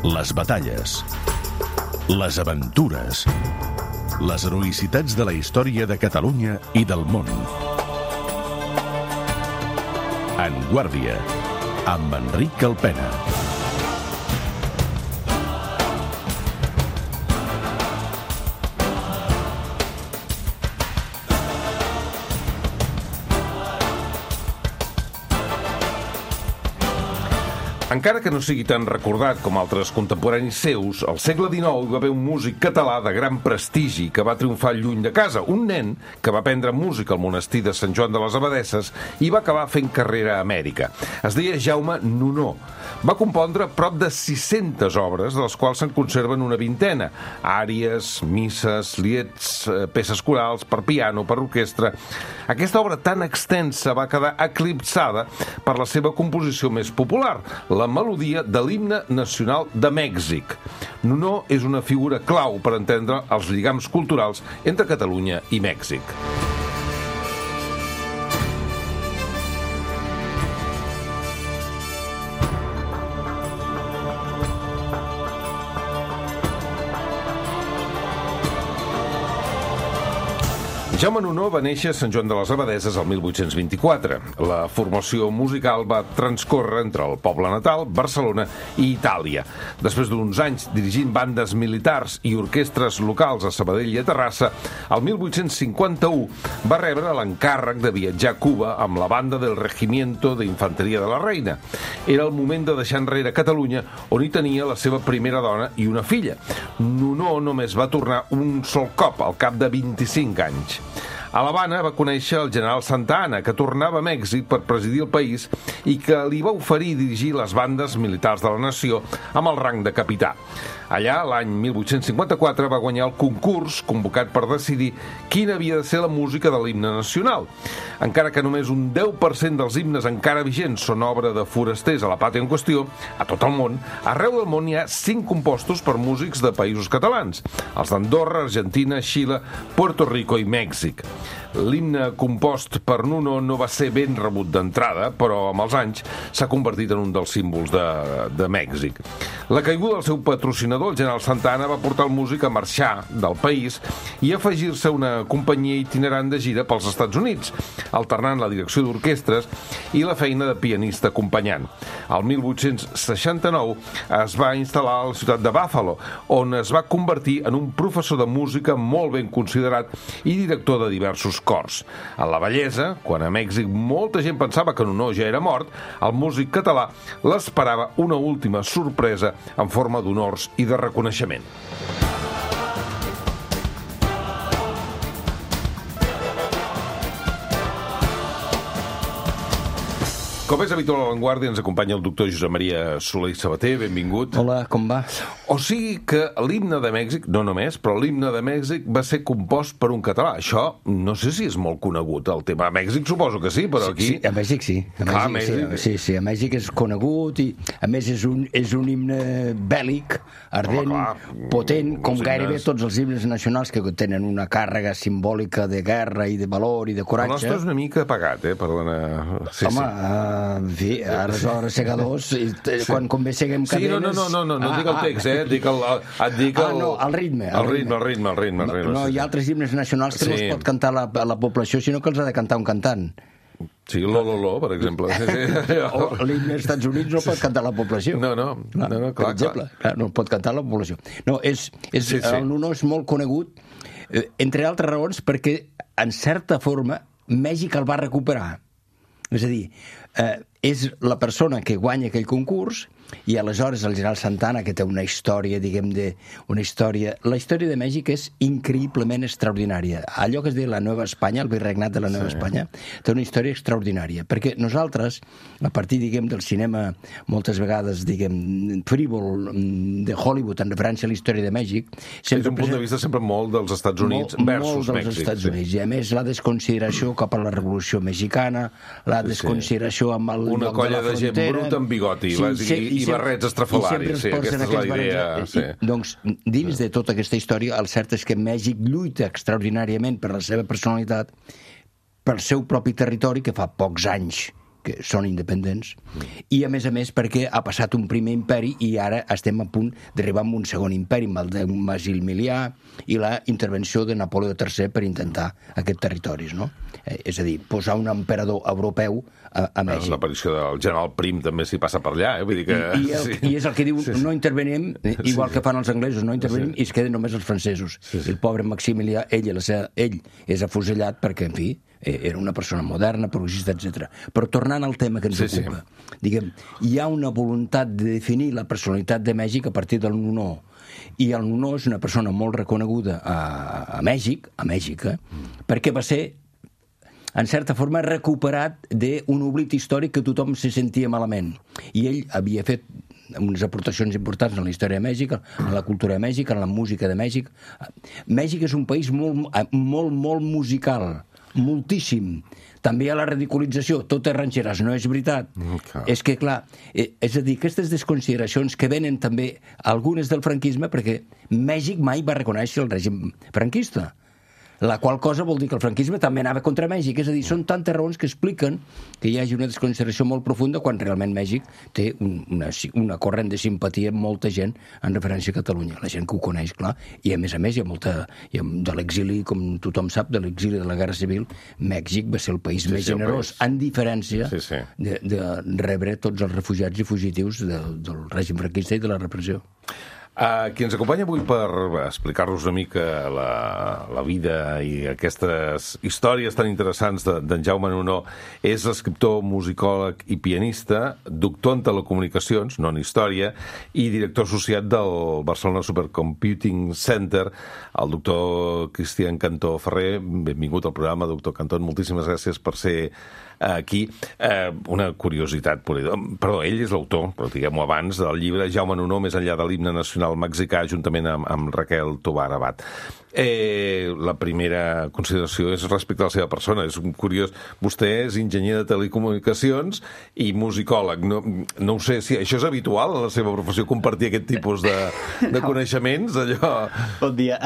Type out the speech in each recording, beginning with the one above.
Les batalles, les aventures, les heroïcitats de la història de Catalunya i del món. En Guàrdia, amb Enric Alpena. Encara que no sigui tan recordat com altres contemporanis seus, al segle XIX hi va haver un músic català de gran prestigi que va triomfar lluny de casa. Un nen que va aprendre música al monestir de Sant Joan de les Abadesses i va acabar fent carrera a Amèrica. Es deia Jaume Nunó. Va compondre prop de 600 obres, de les quals se'n conserven una vintena. Àries, misses, lieds, peces corals, per piano, per orquestra. Aquesta obra tan extensa va quedar eclipsada per la seva composició més popular, la melodia de l'himne nacional de Mèxic. Nunó és una figura clau per entendre els lligams culturals entre Catalunya i Mèxic. Jaume Nunó va néixer a Sant Joan de les Abadesses el 1824. La formació musical va transcórrer entre el poble natal, Barcelona i Itàlia. Després d'uns anys dirigint bandes militars i orquestres locals a Sabadell i a Terrassa, el 1851 va rebre l'encàrrec de viatjar a Cuba amb la banda del Regimiento de Infanteria de la Reina. Era el moment de deixar enrere Catalunya, on hi tenia la seva primera dona i una filla. Nunó només va tornar un sol cop, al cap de 25 anys. A l'Havana va conèixer el general Santa Anna, que tornava a Mèxic per presidir el país i que li va oferir dirigir les bandes militars de la nació amb el rang de capità. Allà, l'any 1854, va guanyar el concurs convocat per decidir quina havia de ser la música de l'himne nacional. Encara que només un 10% dels himnes encara vigents són obra de forasters a la pàtria en qüestió, a tot el món, arreu del món hi ha 5 compostos per músics de països catalans, els d'Andorra, Argentina, Xile, Puerto Rico i Mèxic. L'himne compost per Nunó no va ser ben rebut d'entrada, però amb els anys s'ha convertit en un dels símbols de Mèxic. La caiguda del seu patrocinador, el general Santa Anna, va portar el músic a marxar del país i a afegir-se a una companyia itinerant de gira pels Estats Units, alternant la direcció d'orquestres i la feina de pianista acompanyant. El 1869 es va instal·lar a la ciutat de Buffalo, on es va convertir en un professor de música molt ben considerat i director de diversos cors. En la vellesa, quan a Mèxic molta gent pensava que Nunó ja era mort, el músic català l'esperava una última sorpresa en forma d'honors i de reconeixement. Com és habitual a l'Avantguàrdia, ens acompanya el doctor Josep Maria Soler i Sabater. Benvingut. Hola, com va? O sigui que l'himne de Mèxic, no només, però l'himne de Mèxic va ser compost per un català. Això no sé si és molt conegut, el tema. A Mèxic suposo que sí, però aquí... Sí, a Mèxic sí. Clar, Mèxic. Sí, a Mèxic és conegut i, a més, és un himne bèl·lic, ardent, potent, com gairebé tots els himnes nacionals que tenen una càrrega simbòlica de guerra i de valor i de coratge. El nostre és una mica apagat, perdona. Sí, home, en fi, aleshores segadors, quan convé seguem cadenes... Sí, no dic el text, et dic el... el ritme. El ritme. No, hi ha altres himnes nacionals que no es pot cantar la població, sinó que els ha de cantar un cantant. Sí, l'Ololó, per exemple. O l'himne als Estats Units no pot cantar la població. No, clar. Per exemple, no pot cantar la població. No, el Nunó és molt conegut, entre altres raons, perquè, en certa forma, Mèxic el va recuperar. És a dir, és la persona que guanya aquell concurs i aleshores el general Santa Anna, que té una història, la història de Mèxic és increïblement extraordinària. Allò que es diu la Nova Espanya, el virregnat de la Nova Espanya, té una història extraordinària, perquè nosaltres, a partir, del cinema, moltes vegades, frívol, de Hollywood, en referència a la història de Mèxic... És un punt de vista sempre molt dels Estats Units versus Mèxic. Molt dels Estats Units, i a més la desconsideració cap a la Revolució Mexicana, la desconsideració amb el una colla de gent bruta amb bigoti i barrets estrafalaris. Sí, aquesta és la idea. Doncs, dins de tota aquesta història, el cert és que Mèxic lluita extraordinàriament per la seva personalitat, pel seu propi territori, que fa pocs anys que són independents, i a més perquè ha passat un primer imperi i ara estem a punt d'arribar a un segon imperi amb el de Maximilià i la intervenció de Napoleó III per intentar aquests territoris, no? És a dir, posar un emperador europeu a Mèxic. L'aparició del general Prim també s'hi passa per allà, vull dir que... I és el que diu, no intervenim, igual que fan els anglesos, no intervenim, i es queden només els francesos. El pobre Maximilià, ell és afusellat perquè, en fi, era una persona moderna, progressista, etc. Però tornant al tema que ens ocupa, diguem, hi ha una voluntat de definir la personalitat de Mèxic a partir del Nuno. I el Nuno és una persona molt reconeguda a Mèxic, perquè va ser, en certa forma, recuperat d'un oblit històric que tothom se sentia malament. I ell havia fet unes aportacions importants en la història de Mèxic, en la cultura de Mèxic, en la música de Mèxic. Mèxic és un país molt musical, moltíssim. També hi ha la ridiculització, tot és ranxeres, no és veritat. És que, clar, és a dir, aquestes desconsideracions que venen també algunes del franquisme, perquè Mèxic mai va reconèixer el règim franquista, la qual cosa vol dir que el franquisme també anava contra Mèxic. És a dir, són tantes raons que expliquen que hi hagi una desconsideració molt profunda quan realment Mèxic té una corrent de simpatia amb molta gent en referència a Catalunya. La gent que ho coneix, clar, i a més hi ha molta... de l'exili, com tothom sap, de l'exili de la Guerra Civil, Mèxic va ser el país més generós, en diferència de rebre tots els refugiats i fugitius del règim franquista i de la repressió. Qui ens acompanya avui per explicar-nos una mica la vida i aquestes històries tan interessants d'en Jaume Nuno és l'escriptor, musicòleg i pianista, doctor en telecomunicacions, no en història, i director associat del Barcelona Supercomputing Center, el doctor Cristian Cantó Ferrer. Benvingut al programa, doctor Cantó. Moltíssimes gràcies per ser aquí. Una curiositat. Perdó, ell és l'autor, però diguem-ho abans, del llibre Jaume Nuno, més enllà de l'himne nacional mexicà, juntament amb Raquel Tobar Abad. La primera consideració és respecte a la seva persona. És curiós. Vostè és enginyer de telecomunicacions i musicòleg. No ho sé si això és habitual en la seva professió, compartir aquest tipus de coneixements, allò... Bon dia.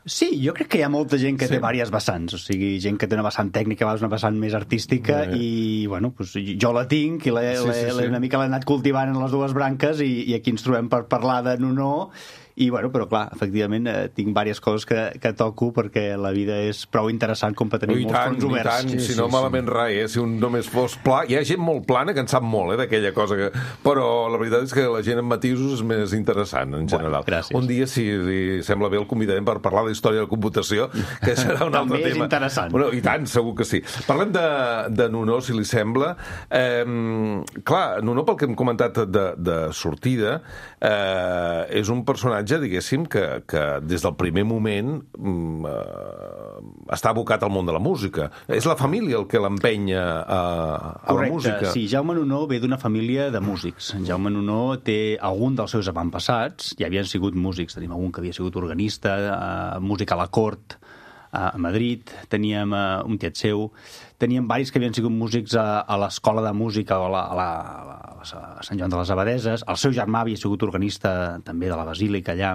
Sí, jo crec que hi ha molta gent que té diverses vessants, o sigui, gent que té una vessant tècnica, una vessant més artística, i, bueno, pues, jo la tinc i una mica l'he anat cultivant en les dues branques, i aquí ens trobem per parlar de Nuno. I, bueno, però clar, efectivament, tinc diverses coses que toco perquè la vida és prou interessant com per tenir molts fronts oberts. Si no malament res, si un només fos pla... Hi ha gent molt plana que en sap molt, d'aquella cosa que... Però la veritat és que la gent amb matisos és més interessant, en general. Gràcies. Un dia, si li sembla bé, el convidarem per parlar de la història de la computació, que serà un altre tema. També és interessant. Bueno, i tant, segur que sí. Parlem de Nuno, si li sembla. Clar, Nuno, pel que hem comentat de sortida, és un personatge, diguéssim, que des del primer moment està abocat al món de la música. És la família el que l'empenya a la música. Correcte, sí. Jaume Nuno ve d'una família de músics. Jaume Nuno té algun dels seus avantpassats, ja havien sigut músics. Tenim algun que havia sigut organista, músic a la cort, a Madrid, teníem un tiet seu, teníem varis que havien sigut músics a l'escola de música o a Sant Joan de les Abadeses. El seu germà havia sigut organista també de la Basílica allà,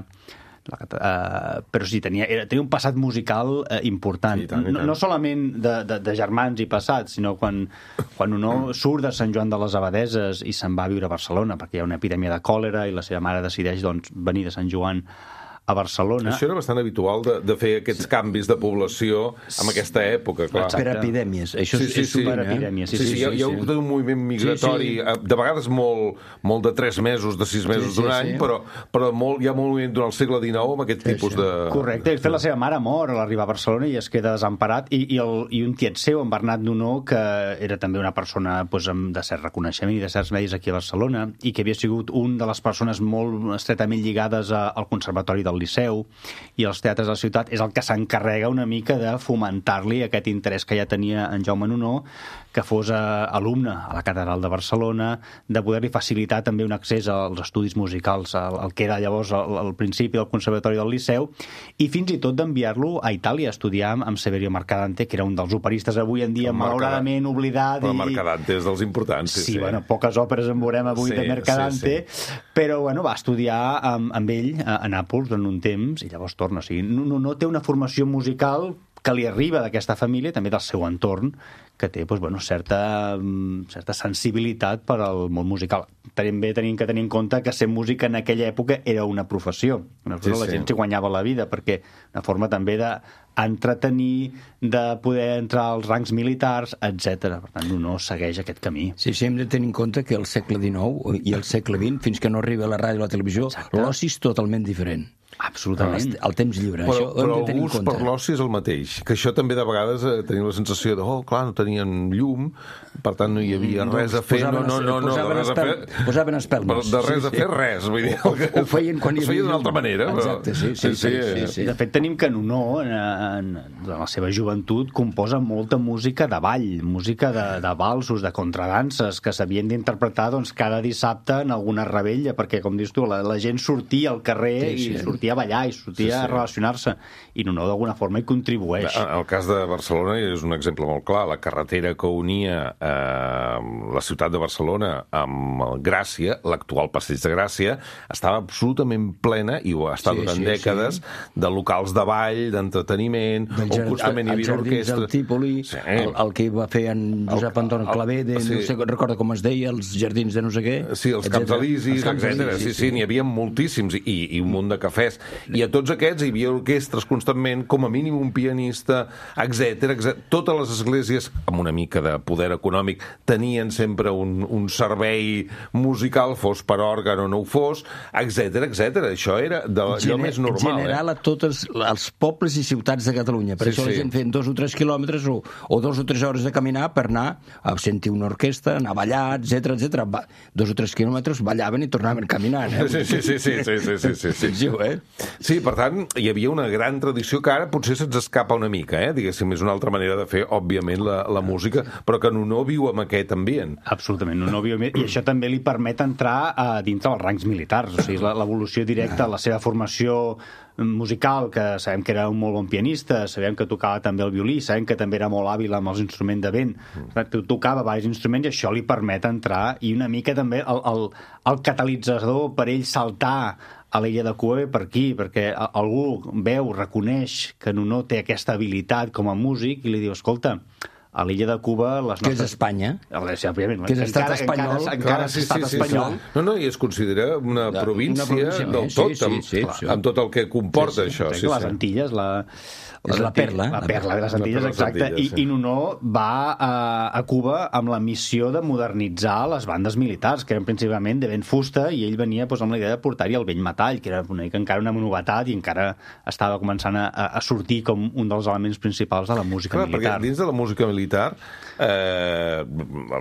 però sí, tenia un passat musical important. Sí, no solament de germans i passats, sinó quan Nuno surt de Sant Joan de les Abadeses i se'n va a viure a Barcelona perquè hi ha una epidèmia de còlera i la seva mare decideix venir de Sant Joan a Barcelona. Això era bastant habitual de fer aquests canvis de població en aquesta època, clar. Per epidèmies. Això és per epidèmies. Sí, hi ha hagut un moviment migratori, de vegades molt de 3 mesos, de 6 mesos d'un any, però hi ha molt moviment durant el segle XIX amb aquest tipus de... Correcte. De fet, la seva mare mor a l'arribar a Barcelona i es queda desemparat, i un tiet seu, en Bernat Nuno, que era també una persona de cert reconeixement i de certs medis aquí a Barcelona, i que havia sigut un de les persones molt estretament lligades al Conservatori del Liceu i als teatres de la ciutat, és el que s'encarrega una mica de fomentar-li aquest interès que ja tenia en Jaume Nuno, que fos alumne a la Catedral de Barcelona, de poder-li facilitar també un accés als estudis musicals, el que era llavors al principi del Conservatori del Liceu, i fins i tot d'enviar-lo a Itàlia a estudiar amb Severio Mercadante, que era un dels operistes avui en dia malauradament oblidat. Però Mercadante és dels importants. Sí, bueno, poques òperes en veurem avui de Mercadante, però bueno, va estudiar amb ell a Nàpols durant un temps i llavors torna. O sigui, no té una formació musical que li arriba d'aquesta família, també del seu entorn, que té certa sensibilitat per al món musical. També tenim que tenir en compte que ser músic en aquella època era una professió. La gent s'hi guanyava la vida, perquè una forma també d'entretenir, de poder entrar als rangs militars, etc. Per tant, no segueix aquest camí. Sí, hem de tenir en compte que el segle XIX i el segle XX, fins que no arriba la ràdio i la televisió, l'oci és totalment diferent. Absolutament. El temps lliure. Però el gust per l'oci és el mateix. Que això també de vegades tenim la sensació de, clar, no tenien llum, per tant no hi havia res a fer. Posaven espelmes. De res a fer, res. Vull dir, ho feien quan hi havia d'una altra manera. Exacte, sí. De fet, tenim que Nuno, en la seva joventut, composa molta música de ball, música de valsos, de contradanses, que s'havien d'interpretar cada dissabte en alguna rebella, perquè, com dius tu, la gent sortia al carrer i sortia a ballar i sortia a relacionar-se, i Nuno d'alguna forma hi contribueix. El cas de Barcelona és un exemple molt clar. La carretera que unia la ciutat de Barcelona amb Gràcia, l'actual Passeig de Gràcia, estava absolutament plena, i ho ha estat durant dècades, de locals de ball, d'entreteniment, on constantment hi havia orquestra. El Típoli, el que va fer en Josep Anton Clavé, no sé, recorda com es deia, els jardins de no sé què. Sí, els Camps Elisis, etc. Sí, n'hi havia moltíssims, i un munt de cafès. I a tots aquests hi havia orquestres constantment, com a mínim un pianista, etc. Totes les esglésies, amb una mica de poder econòmic, tenien sempre un servei musical, fos per òrgan o no ho fos, etc. Això era allò més normal. General a tots els pobles i ciutats de Catalunya. Per això la gent feien 2 o 3 quilòmetres o 2 o 3 hores de caminar per anar a sentir una orquestra, anar a ballar, etc. 2 o 3 quilòmetres ballaven i tornaven caminant. Sí. Sí, per tant, hi havia una gran tradició que ara potser se'ns escapa una mica, diguéssim, és una altra manera de fer, òbviament, la música, però que Nuno viu amb aquest ambient. Absolutament, Nuno viu amb... I això també li permet entrar dintre dels rangs militars, o sigui, l'evolució directa, la seva formació musical, que sabem que era un molt bon pianista, sabem que tocava també el violí, sabem que també era molt hàbil amb els instruments de vent, tocava diversos instruments i això li permet entrar, i una mica també el catalitzador per ell saltar a l'illa de Cuba ve per aquí, perquè algú veu, reconeix que Nuno té aquesta habilitat com a músic i li diu, escolta, a l'illa de Cuba... Que és Espanya. Que és estat espanyol. Encara és estat espanyol. No, i es considera una província del tot, amb tot el que comporta això. Les Antilles, és la perla. La perla de les Antilles, exacte. I Nuno va a Cuba amb la missió de modernitzar les bandes militars, que eren principalment de vent fusta, i ell venia amb la idea de portar-hi el vell metall, que era encara una novetat i encara estava començant a sortir com un dels elements principals de la música militar. Perquè dins de la música militar,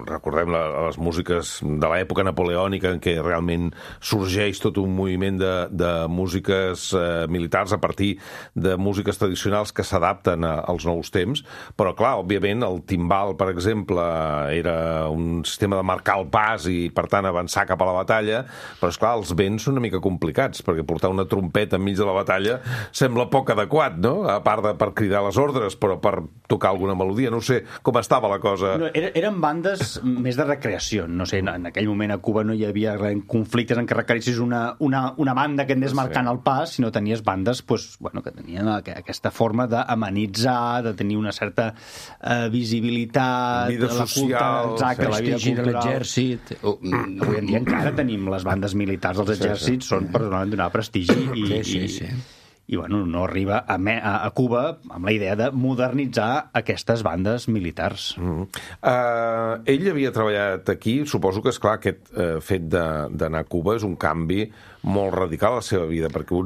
recordem les músiques de l'època napoleònica en què realment sorgeix tot un moviment de músiques militars a partir de músiques tradicionals que s'adapten als nous temps, però clar, òbviament el timbal, per exemple, era un sistema de marcar el pas i per tant avançar cap a la batalla, però esclar, els vents són una mica complicats, perquè portar una trompeta enmig de la batalla sembla poc adequat, no? A part de per cridar les ordres, però per tocar alguna melodia, no sé com estava la cosa. No, eren bandes més de recreació, no sé, en aquell moment a Cuba no hi havia conflictes en què requerissis una banda que anés marcant el pas, sinó tenies bandes que tenien aquesta forma d'amenitzar, de tenir una certa visibilitat, vida social, exacte, la vida cultural de l'exèrcit. Avui en dia encara tenim les bandes militars dels exèrcits, són per donar prestigi i no arriba a Cuba amb la idea de modernitzar aquestes bandes militars. Ell havia treballat aquí, suposo que, esclar, aquest fet d'anar a Cuba és un canvi molt radical a la seva vida, perquè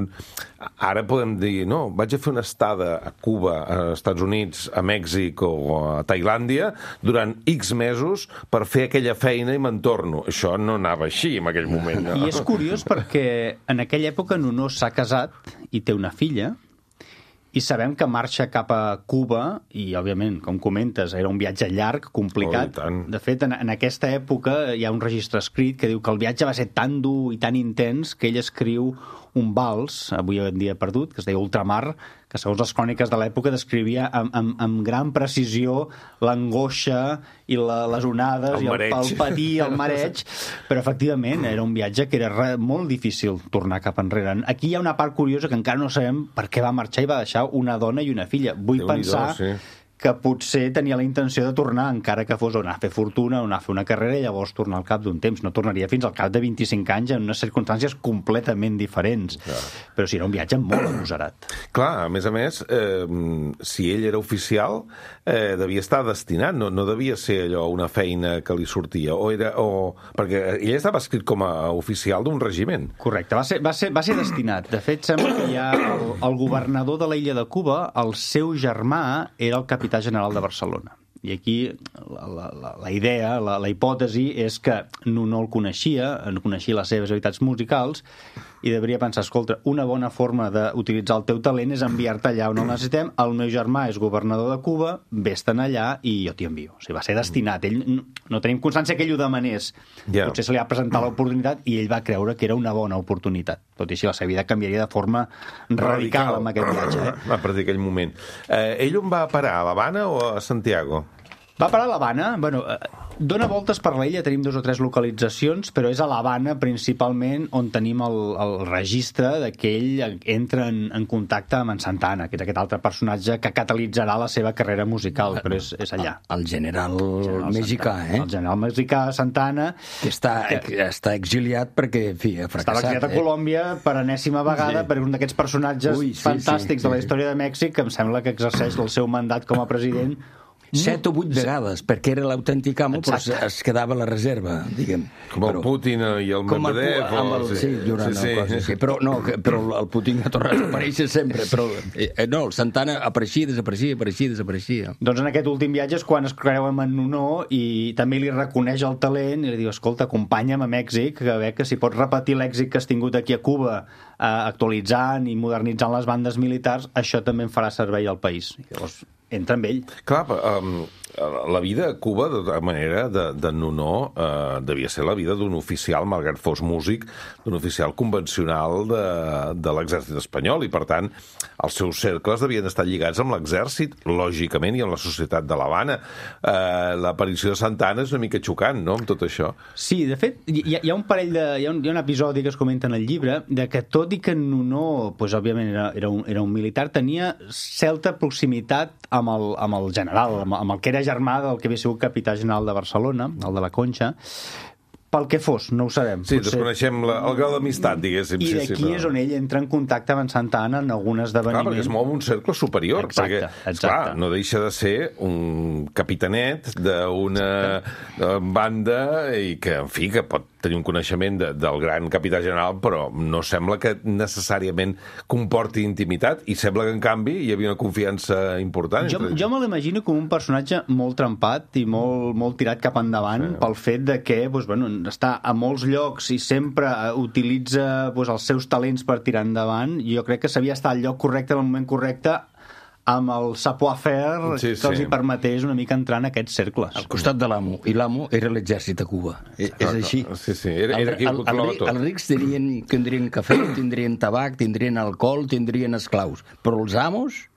ara podem dir, no, vaig a fer una estada a Cuba, a Estats Units, a Mèxic o a Tailàndia durant X mesos per fer aquella feina i me'n torno. Això no anava així en aquell moment. No? I és curiós perquè en aquella època Nuno s'ha casat i té una filla, i sabem que marxa cap a Cuba, i, òbviament, com comentes, era un viatge llarg, complicat. De fet, en aquesta època hi ha un registre escrit que diu que el viatge va ser tan dur i tan intens que ell escriu un vals, avui en dia perdut, que es deia Ultramar, que segons les cròniques de l'època descrivia amb gran precisió l'angoixa i les onades i el patir, el mareig, però efectivament era un viatge que era molt difícil tornar cap enrere. Aquí hi ha una part curiosa que encara no sabem per què va marxar i va deixar una dona i una filla. Vull pensar que potser tenia la intenció de tornar, encara que fos anar a fer fortuna o anar a fer una carrera i llavors tornar al cap d'un temps. No tornaria fins al cap de 25 anys en unes circumstàncies completament diferents. Però sí, era un viatge molt agosarat. Clar, a més, si ell era oficial, devia estar destinat, no devia ser allò una feina que li sortia, perquè ell estava escrit com a oficial d'un regiment. Correcte, va ser destinat. De fet, sembla que hi ha el governador de l'illa de Cuba, el seu germà era el capità general de Barcelona. I aquí la idea, la hipòtesi és que no el coneixia les seves habilitats musicals i devia pensar, escolta, una bona forma d'utilitzar el teu talent és enviar-te allà on el necessitem, el meu germà és governador de Cuba, vés-te'n allà i jo t'hi envio. O sigui, va ser destinat. Ell, no tenim constància que ell ho demanés. Potser se li ha presentat l'oportunitat i ell va creure que era una bona oportunitat. Tot i així, la seva vida canviaria de forma radical amb aquest viatge. A partir d'aquell moment. Ell on va parar? A l'Havana o a Santiago? Va parar a l'Havana. Bueno, dona voltes per l'illa, tenim 2 o 3 localitzacions, però és a l'Havana principalment on tenim el registre que ell entra en contacte amb en Santana, que és aquest altre personatge que catalitzarà la seva carrera musical, però és allà. El general mexicà, El general mexicà Santana, que està exiliat perquè, en fi, ha fracassat. Estava exiliat a Colòmbia per enèsima vegada, per un d'aquests personatges fantàstics de la història de Mèxic, que em sembla que exerceix el seu mandat com a president 7 o 8 vegades, perquè era l'autèntic amo, però es quedava a la reserva, diguem. Com el Putin i el Medvedev. Però el Putin ha tornat a aparèixer sempre, però no, el Santana apareixia. Doncs en aquest últim viatge és quan es creuen en Nuno i també li reconeix el talent i li diu, escolta, acompanya'm a Mèxic, a veure que si pots repetir l'èxit que has tingut aquí a Cuba, actualitzant i modernitzant les bandes militars, això també en farà servei al país. Llavors entra amb ell. Clar, la vida a Cuba, de manera de Nuno, devia ser la vida d'un oficial, malgrat fos músic, d'un oficial convencional de l'exèrcit espanyol, i per tant els seus cercles devien estar lligats amb l'exèrcit, lògicament, i amb la societat de l'Havana. L'aparició de Santana és una mica xocant, no?, amb tot això. Sí, de fet, hi ha un episodi que es comenta en el llibre de que tot i que Nuno, pues, òbviament era un militar, tenia certa proximitat amb el general, amb el que era germà del que havia sigut capità general de Barcelona, el de la Conxa, pel que fos, no ho sabem. Sí, desconeixem el grau d'amistat, diguéssim. I d'aquí és on ell entra en contacte amb en Santana en algun esdeveniment. Clar, perquè es mou un cercle superior. Exacte. Clar, no deixa de ser un capitanet d'una banda i que, en fi, que pot tenir un coneixement del gran capità general, però no sembla que necessàriament comporti intimitat, i sembla que, en canvi, hi havia una confiança important. Jo me l'imagino com un personatge molt trempat i molt tirat cap endavant pel fet de que està a molts llocs i sempre utilitza els seus talents per tirar endavant. Jo crec que sabia estar al lloc correcte, en el moment correcte, amb el savoir-faire que els hi permetés una mica entrar en aquests cercles. Al costat de l'amo, i l'amo era l'exèrcit a Cuba. És així. Sí, era qui ho controlava tot. Els rics tindrien cafè, tindrien tabac, tindrien alcohol, tindrien esclaus, però els amos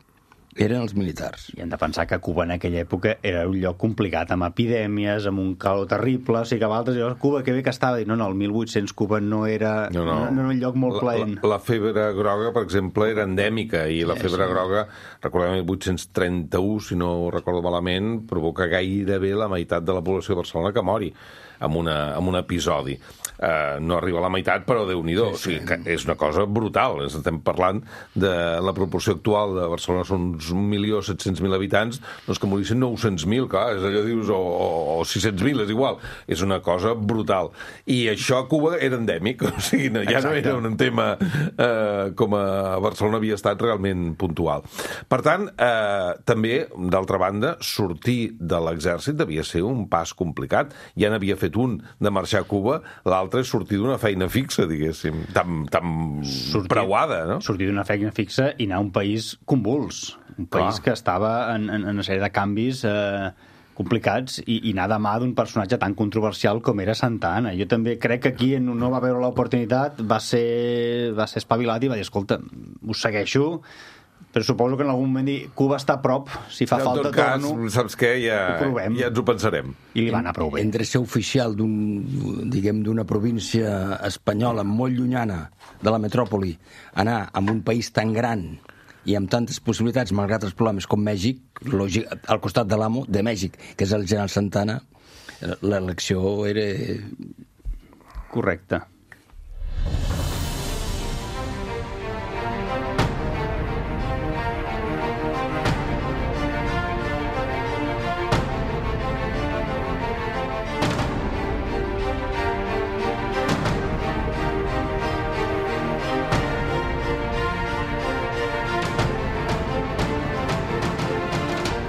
eren els militars. I hem de pensar que Cuba en aquella època era un lloc complicat, amb epidèmies, amb un calor terrible, o sigui que altres llocs, Cuba, que bé que estava, no, el 1800 Cuba no era un lloc molt plaent. La febre groga, per exemple, era endèmica, i la febre groga, recordem, el 1831, si no ho recordo malament, provoca gairebé la meitat de la població de Barcelona que mori amb un episodi. No arriba a la meitat, però Déu-n'hi-do. O sigui, que és una cosa brutal. Estem parlant de la proporció actual de Barcelona, són uns 1.700.000 habitants, doncs que morissin 900.000, clar, és allò dius, o 600.000, és igual. És una cosa brutal. I això a Cuba era endèmic, o sigui, ja no era un tema com a Barcelona havia estat realment puntual. Per tant, també, d'altra banda, sortir de l'exèrcit devia ser un pas complicat. Ja n'havia fet un de marxar a Cuba, l'altre és sortir d'una feina fixa, diguéssim, tan preuada, no? Sortir d'una feina fixa i anar a un país convuls, un país que estava en una sèrie de canvis complicats i anar de mà d'un personatge tan controversial com era Santa Anna. Jo també crec que aquí no va veure l'oportunitat, va ser espavilat i va dir, escolta, us segueixo, però suposo que en algun moment Cuba està a prop, si fa falta torno. En tot cas, saps què? Ja ens ho pensarem. I li va anar prou bé. Entre ser oficial d'una província espanyola molt llunyana de la metròpoli, anar a un país tan gran i amb tantes possibilitats, malgrat els problemes com Mèxic, al costat de l'amo de Mèxic, que és el general Santana, l'elecció era correcta.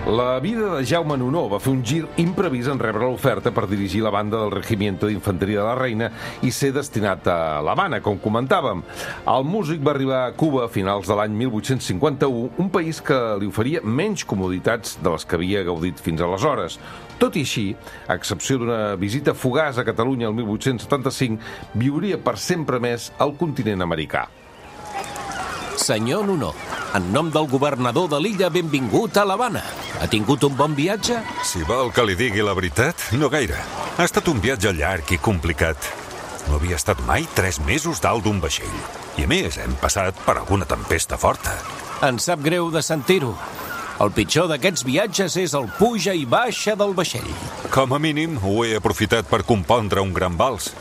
La vida de Jaume Nunó va fer un gir imprevist en rebre l'oferta per dirigir la banda del Regimiento d'Infanteria de la Reina i ser destinat a l'Havana, com comentàvem. El músic va arribar a Cuba a finals de l'any 1851, un país que li oferia menys comoditats de les que havia gaudit fins aleshores. Tot i així, a excepció d'una visita fugaç a Catalunya el 1875, viuria per sempre més al continent americà. Senyor Nunó, en nom del governador de l'illa, benvingut a l'Havana. Ha tingut un bon viatge? Si vol que li digui la veritat, no gaire. Ha estat un viatge llarg i complicat. No havia estat mai 3 mesos dalt d'un vaixell. I a més, hem passat per alguna tempesta forta. Em sap greu de sentir-ho. El pitjor d'aquests viatges és el puja i baixa del vaixell. Com a mínim, ho he aprofitat per compondre un gran vals.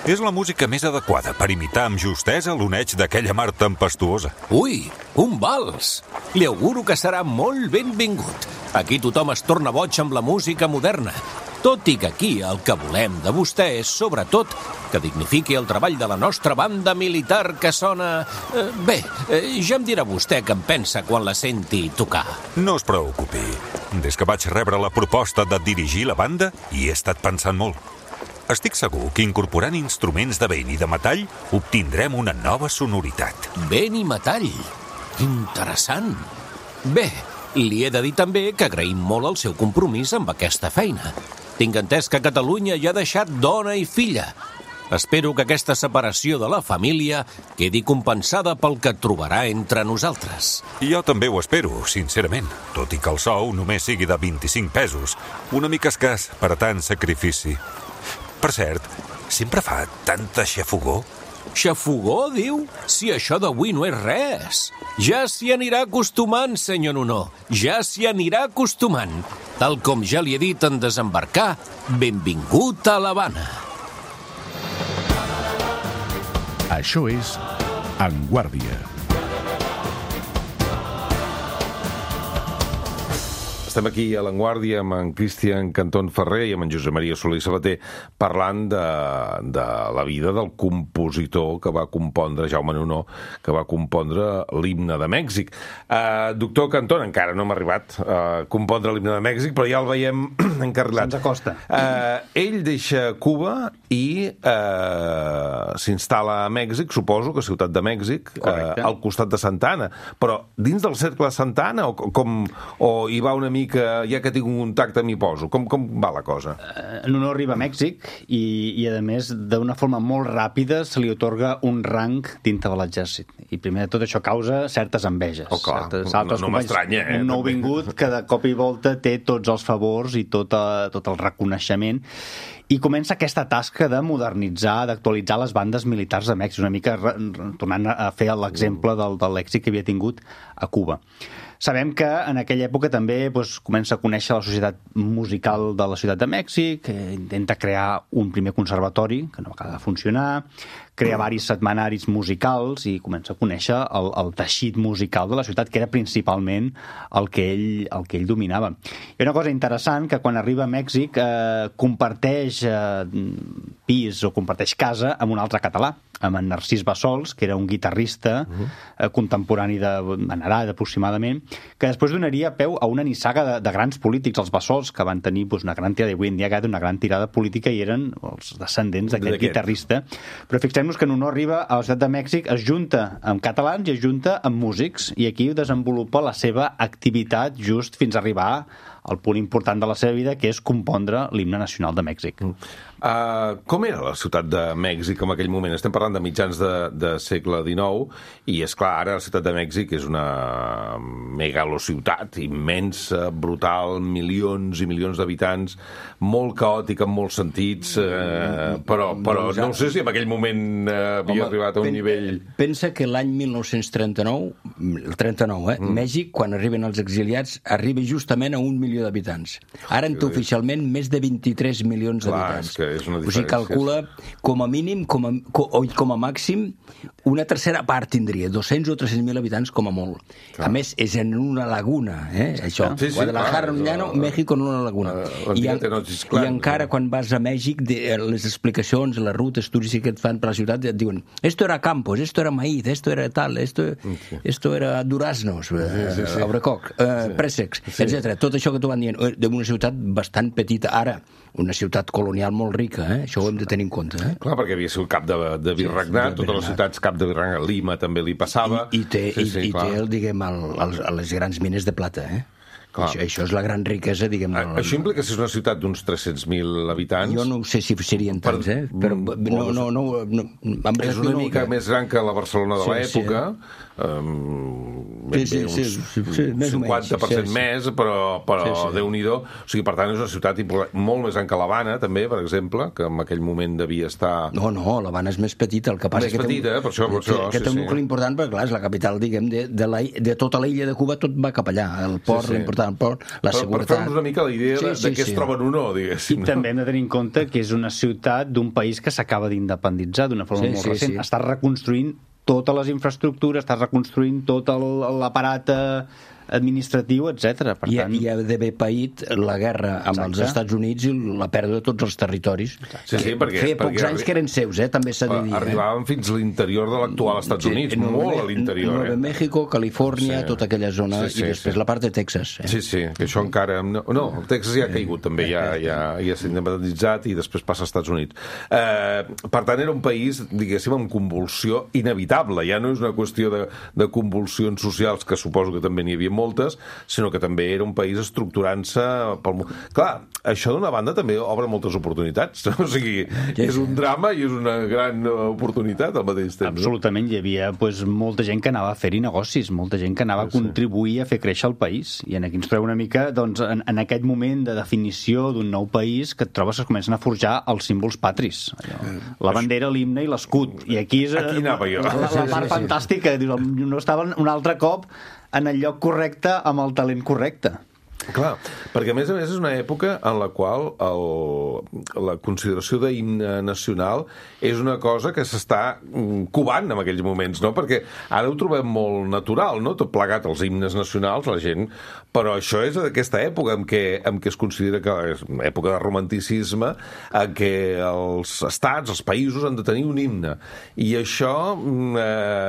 És la música més adequada per imitar amb justesa l'oneig d'aquella mar tempestuosa. Ui, un vals! Li auguro que serà molt benvingut. Aquí tothom es torna boig amb la música moderna. Tot i que aquí el que volem de vostè és, sobretot, que dignifiqui el treball de la nostra banda militar que sona... ja em dirà vostè què en pensa quan la senti tocar. No es preocupi. Des que vaig rebre la proposta de dirigir la banda, hi he estat pensant molt. Estic segur que incorporant instruments de vent i de metall obtindrem una nova sonoritat. Vent i metall? Interessant. Bé, li he de dir també que agraïm molt el seu compromís amb aquesta feina. Tinc entès que Catalunya hi ha deixat dona i filla. Espero que aquesta separació de la família quedi compensada pel que trobarà entre nosaltres. Jo també ho espero, sincerament, tot i que el sou només sigui de 25 pesos, una mica escàs per a tant sacrifici. Per cert, sempre fa tanta xafogor? Xafogor, diu? Si això d'avui no és res. Ja s'hi anirà acostumant, senyor Nunó. Ja s'hi anirà acostumant. Tal com ja li he dit en desembarcar, benvingut a l'Havana. Això és En Guàrdia. Estem aquí a l'Avantguàrdia amb en Cristian Cantón Ferrer i amb en Josep Maria Solé Sabater parlant de la vida del compositor que va compondre, Jaume Nunó, que va compondre l'himne de Mèxic. Doctor Cantón, encara no hem arribat a compondre l'himne de Mèxic, però ja el veiem encarrilat. Se'ns acosta. Ell deixa Cuba i s'instal·la a Mèxic, suposo que a Ciutat de Mèxic, al costat de Santa Anna. Però dins del cercle de Santa Anna o hi va una mica ja que tinc un contacte m'hi poso? Com va la cosa? Nunó arriba a Mèxic i a més, d'una forma molt ràpida se li otorga un rang dintre de l'exèrcit. I primer de tot això causa certes enveges. Clar, no m'estranya, Un nouvingut que de cop i volta té tots els favors i tot el reconeixement. I comença aquesta tasca de modernitzar, d'actualitzar les bandes militars de Mèxic, una mica tornant a fer l'exemple de l'èxit que havia tingut a Cuba. Sabem que en aquella època també comença a conèixer la societat musical de la Ciutat de Mèxic, intenta crear un primer conservatori, que no acaba de funcionar, crea varis setmanaris musicals i comença a conèixer el teixit musical de la ciutat, que era principalment el que ell dominava. I una cosa interessant, que quan arriba a Mèxic comparteix pis o comparteix casa amb un altre català, amb en Narcís Bassols, que era un guitarrista contemporani venerat aproximadament, que després donaria peu a una nissaga de grans polítics, els Bassols, que van tenir una gran tirada, avui en dia una gran tirada política i eren els descendents d'aquest guitarrista. Però fixem-nos que Nunó arriba a la Ciutat de Mèxic, es junta amb catalans i es junta amb músics, i aquí desenvolupa la seva activitat just fins a arribar el punt important de la seva vida, que és compondre l'himne nacional de Mèxic. Com era la ciutat de Mèxic en aquell moment? Estem parlant de mitjans de segle XIX i, és clar, ara la ciutat de Mèxic és una megalociutat immensa, brutal, milions i milions d'habitants, molt caòtica en molts sentits, però no sé si en aquell moment havia arribat a un nivell... Pensa que l'any 1939, Mèxic, quan arriben els exiliats, arriba justament a 1 milió d'habitants. Ara en té oficialment més de 23 milions d'habitants. És una o sigui, calcula com a mínim, com a màxim, una tercera part tindria, 200 o 300.000 habitants com a molt. Clar. A més, és en una laguna, això. Sí, Guadalajara, un llano, México en una laguna. I encara quan vas a Mèxic, les explicacions, les rutes turístiques que et fan per la ciutat, et diuen, esto era campos, esto era maíz, esto era tal, esto era duraznos, abracoc, préssecs, etc. Tot això que t'ho van dient, d'una ciutat bastant petita. Ara, una ciutat colonial molt rica, això ho hem de tenir en compte. Clar, perquè havia sigut cap de virregnat, totes les ciutats cap de virregnat, Lima també li passava. I té, diguem, les grans mines de plata, Això és la gran riquesa, diguem... Això implica que si és una ciutat d'uns 300.000 habitants... Jo no sé si serien tants, però no... És una mica més gran que la Barcelona de l'època, uns 50% més, però Déu-n'hi-do. O sigui, per tant, és una ciutat molt més gran que l'Havana, també, per exemple, que en aquell moment devia estar... No, l'Havana és més petita, el que passa que té un nucli important, perquè, clar, és la capital, diguem, de tota l'illa de Cuba, tot va cap allà, el port, l'important port, la seguretat... Per fer-nos una mica la idea de què es troba en un o, diguéssim. I també hem de tenir en compte que és una ciutat d'un país que s'acaba d'independitzar d'una forma molt recent. Està reconstruint totes les infraestructures, està reconstruint tot l'aparat administratiu, etc. I ha d'haver paït la guerra amb els Estats Units i la pèrdua de tots els territoris. Perquè feia pocs anys que eren seus, també s'ha de dir. Arribaven fins a l'interior de l'actual Estats Units, molt a l'interior. Nueva México, Califòrnia, tota aquella zona, i després la part de Texas. Sí, que això encara... No, el Texas ja ha caigut, també, ja s'ha independitzat i després passa als Estats Units. Per tant, era un país, diguéssim, amb convulsió inevitable. Ja no és una qüestió de convulsions socials, que suposo que també n'hi havia moltes, sinó que també era un país estructurant-se pel món. Clar, això d'una banda també obre moltes oportunitats. O sigui, és un drama i és una gran oportunitat al mateix temps. Absolutament, hi havia molta gent que anava a fer-hi negocis, molta gent que anava a contribuir a fer créixer el país. I aquí ens trobem una mica en aquest moment de definició d'un nou país que et trobes que es comencen a forjar els símbols patris. La bandera, l'himne i l'escut. I aquí és la part fantàstica. No estaven un altre cop en el lloc correcte amb el talent correcte. Clar, perquè a més és una època en la qual la consideració d'himne nacional és una cosa que s'està covant en aquells moments, no? Perquè ara ho trobem molt natural, no? Tot plegat els himnes nacionals, la gent... Però això és d'aquesta època en què es considera que és una època de romanticisme, en què els estats, els països han de tenir un himne. I això,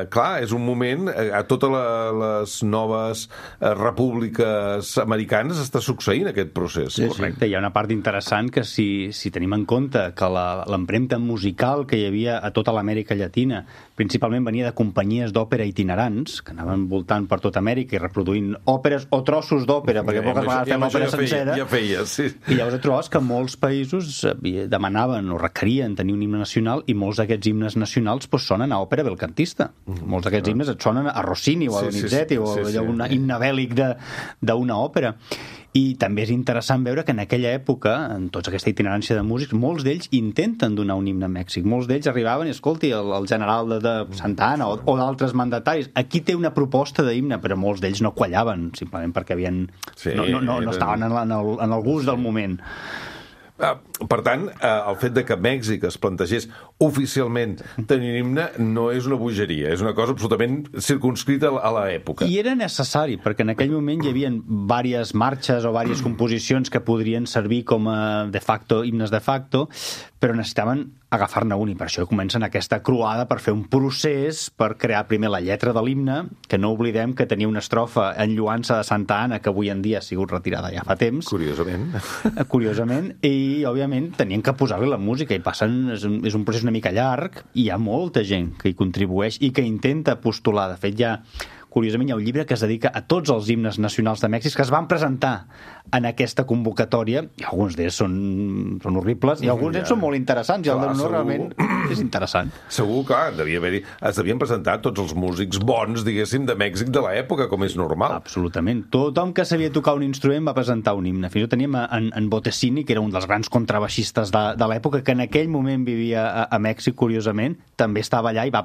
clar, és un moment... A totes les noves repúbliques americanes està succeint aquest procés. Correcte, hi ha una part interessant que si tenim en compte que l'empremta musical que hi havia a tota l'Amèrica Llatina principalment venia de companyies d'òpera itinerants que anaven voltant per tota Amèrica i reproduint òperes o trossos d'òpera, perquè poques vegades fem òpera sencera. Ja feia, sí. I llavors et trobes que molts països demanaven o requerien tenir un himne nacional i molts d'aquests himnes nacionals sonen a òpera belcantista. Molts d'aquests himnes et sonen a Rossini o a Donizetti o a un himne bèl·lic d'una òpera. I també és interessant veure que en aquella època, en tota aquesta itinerància de músics, molts d'ells intenten donar un himne a Mèxic. Molts d'ells arribaven i, escolti, el general de Santa Anna o d'altres mandataris, aquí té una proposta d'himne, però molts d'ells no quallaven, simplement perquè no estaven en el gust del moment. Per tant, el fet de que Mèxic es plantegés oficialment tenir un himne no és una bogeria, és una cosa absolutament circunscrita a l'època. I era necessari, perquè en aquell moment hi havia diverses marxes o diverses composicions que podrien servir com a de facto, himnes de facto, però necessitaven agafar-ne un, i per això comencen aquesta croada per fer un procés per crear primer la lletra de l'himne, que no oblidem que tenia una estrofa en lluança de Santa Anna, que avui en dia ha sigut retirada ja fa temps. Curiosament, i òbviament tenien que posar-li la música, i és un procés una mica llarg, i hi ha molta gent que hi contribueix i que intenta postular. De fet, hi ha curiosament hi ha un llibre que es dedica a tots els himnes nacionals de Mèxic que es van presentar en aquesta convocatòria, i alguns d'ells són horribles, i alguns d'ells són molt interessants, i el de l'honor realment és interessant. Segur, clar, es devien presentar tots els músics bons, diguéssim, de Mèxic de l'època, com és normal. Absolutament. Tothom que sabia tocar un instrument va presentar un himne. Fins i tot teníem en Bottesini, que era un dels grans contrabaixistes de l'època, que en aquell moment vivia a Mèxic, curiosament, també estava allà i va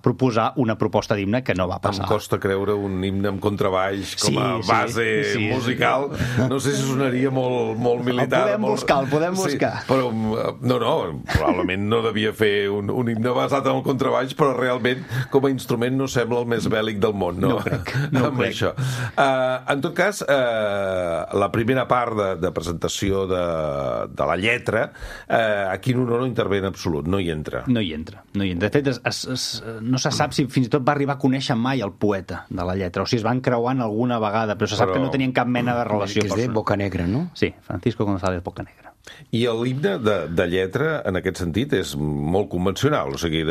proposar una proposta d'himne que no va passar. Em costa creure un himne amb contrabaix com a base musical. No sé si sonaria molt militar. El podem buscar. Però, probablement no devia fer un himne basat en el contrabaix, però realment, com a instrument, no sembla el més bèl·lic del món, no? No crec. Això. En tot cas, la primera part de presentació de la lletra, aquí no intervé en absolut, no hi entra. No hi entra. De fet, no se sap si fins i tot va arribar a conèixer mai el poeta de la lletra, o si es van creuant alguna vegada, però se sap que no tenien cap mena de relació. Que és de Bocanegra, no? Sí, Francisco González Bocanegra. I l'himne de lletra, en aquest sentit, és molt convencional, o sigui...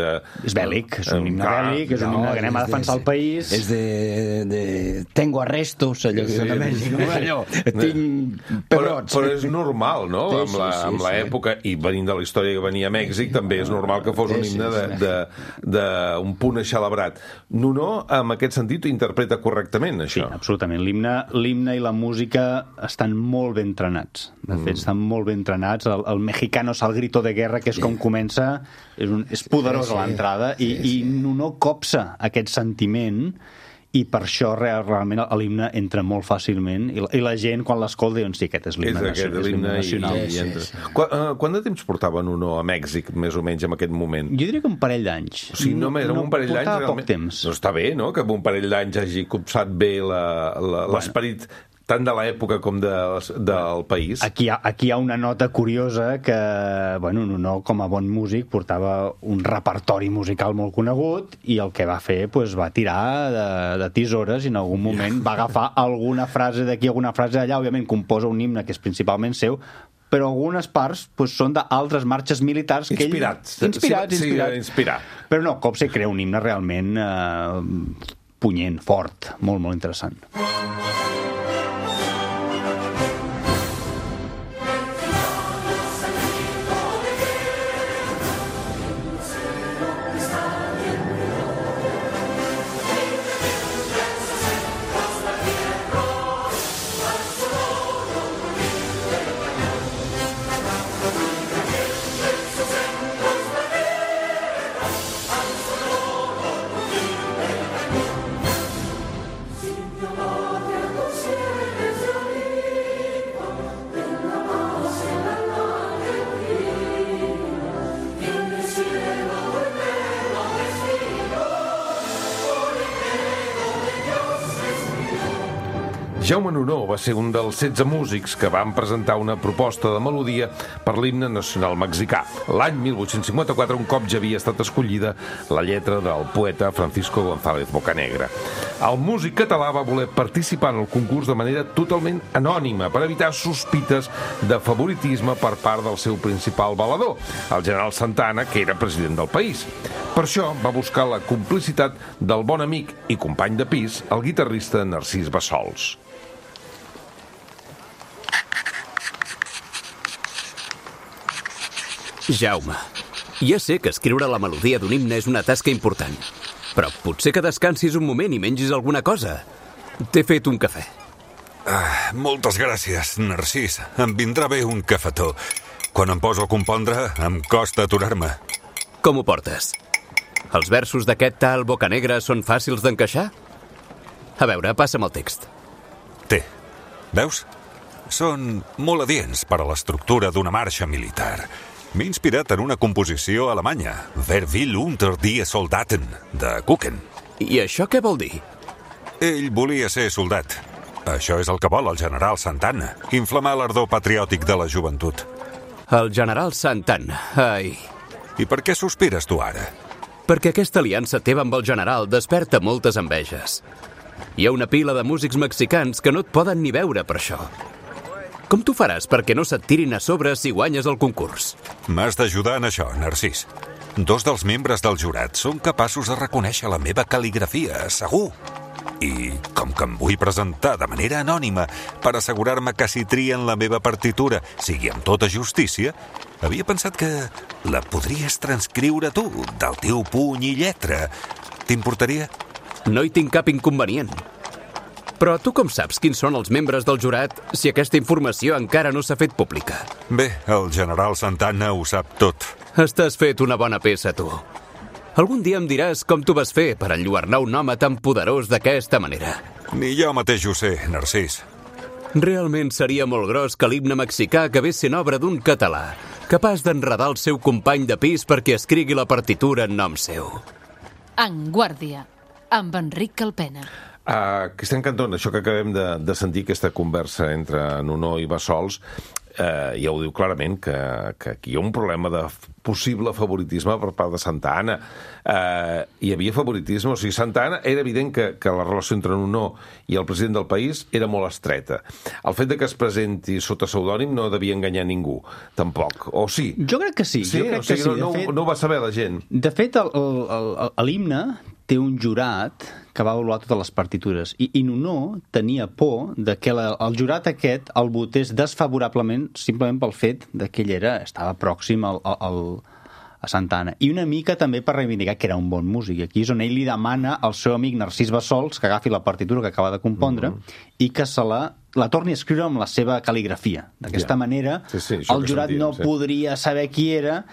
És bèl·lic, és un himne bèl·lic, és un himne que anem a defensar el país... És de tengo arrestos, allò que de Mèxic, allò, tinc pebrots... Però és normal, no? Amb l'època, i venint de la història que venia a Mèxic, també és normal que fos un himne d'un punt eixelebrat. Nuno, en aquest sentit, interpreta correctament, això? Sí, absolutament. L'himne i la música estan molt ben entrenats. De fet, estan molt ben entrenats. El mexicano al grito de guerra, que és com comença, és poderós a l'entrada, i no copsa aquest sentiment, i per això realment l'himne entra molt fàcilment, i la gent quan l'escolta diuen, sí, aquest és l'himne nacional. Quant de temps portava Nuno a Mèxic, més o menys, en aquest moment? Jo diria que un parell d'anys. O sigui, només un parell d'anys portava poc temps. No està bé, no?, que en un parell d'anys hagi copsat bé l'esperit tant de l'època com del país. Aquí hi ha una nota curiosa que, Nuno, com a bon músic, portava un repertori musical molt conegut, i el que va fer, va tirar de tisores, i en algun moment va agafar alguna frase d'aquí, alguna frase d'allà. Òbviament composa un himne que és principalment seu, però algunes parts són d'altres marxes militars que Inspirat. Però no, Copse crea un himne realment punyent, fort, molt, molt interessant. Jaume Nuno va ser un dels 16 músics que van presentar una proposta de melodia per l'himne nacional mexicà. L'any 1854, un cop ja havia estat escollida la lletra del poeta Francisco González Bocanegra. El músic català va voler participar en el concurs de manera totalment anònima per evitar sospites de favoritisme per part del seu principal valedor, el general Santa Anna, que era president del país. Per això va buscar la complicitat del bon amic i company de pis, el guitarrista Narcís Bassols. Jaume, ja sé que escriure la melodia d'un himne és una tasca important, però potser que descansis un moment i mengis alguna cosa. T'he fet un cafè. Moltes gràcies, Narcís. Em vindrà bé un cafetó. Quan em poso a compondre, em costa aturar-me. Com ho portes? Els versos d'aquest tal Bocanegra són fàcils d'encaixar? A veure, passa'm el text. Té. Veus? Són molt adients per a l'estructura d'una marxa militar. M'he inspirat en una composició alemanya, Wer will unter die Soldaten, de Kuchen. I això què vol dir? Ell volia ser soldat. Això és el que vol el general Santa Anna, inflamar l'ardor patriòtic de la joventut. El general Santa Anna, ai... I per què sospires tu ara? Perquè aquesta aliança teva amb el general desperta moltes enveges. Hi ha una pila de músics mexicans que no et poden ni veure per això. Com t'ho faràs perquè no se't tirin a sobre si guanyes el concurs? M'has d'ajudar en això, Narcís. 2 dels membres del jurat són capaços de reconèixer la meva cal·ligrafia, segur. I com que em vull presentar de manera anònima per assegurar-me que si trien la meva partitura sigui amb tota justícia, havia pensat que la podries transcriure tu, del teu puny i lletra. T'importaria? No hi tinc cap inconvenient. Però tu com saps quins són els membres del jurat si aquesta informació encara no s'ha fet pública? Bé, el general Santana ho sap tot. Estàs fet una bona peça, tu. Algun dia em diràs com t'ho vas fer per enlluernar un home tan poderós d'aquesta manera. Ni jo mateix ho sé, Narcís. Realment seria molt gros que l'himne mexicà acabés sent obra d'un català, capaç d'enredar el seu company de pis perquè escrigui la partitura en nom seu. En Guàrdia, amb Enric Calpena. Cristian Cantón, això que acabem de sentir, aquesta conversa entre Nuno i Bassols, ja ho diu clarament, que aquí hi ha un problema de possible favoritisme per part de Santa Anna. Hi havia favoritisme, o sigui, Santa Anna era evident que la relació entre Nuno i el president del país era molt estreta. El fet de que es presenti sota pseudònim no devia enganyar ningú, tampoc. O sí? Jo crec que sí. Sí? Jo crec que sí. No ho va saber la gent. De fet, l'himne té un jurat que va avaluar totes les partitures i Nuno tenia por de que el jurat aquest el votés desfavorablement simplement pel fet de que ell estava pròxim a Santa Anna. I una mica també per reivindicar que era un bon músic. Aquí és on ell li demana al seu amic Narcís Bassols que agafi la partitura que acaba de compondre i que se la torni a escriure amb la seva cal·ligrafia. D'aquesta manera, el jurat no podria saber qui era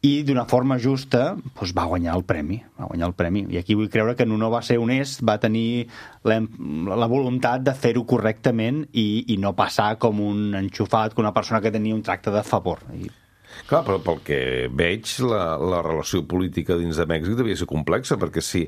i d'una forma justa va guanyar el premi. I aquí vull creure que Nuno va ser honest, va tenir la voluntat de fer-ho correctament i no passar com un enxufat, com una persona que tenia un tracte de favor. Clar, però pel que veig, la relació política dins de Mèxic devia ser complexa, perquè si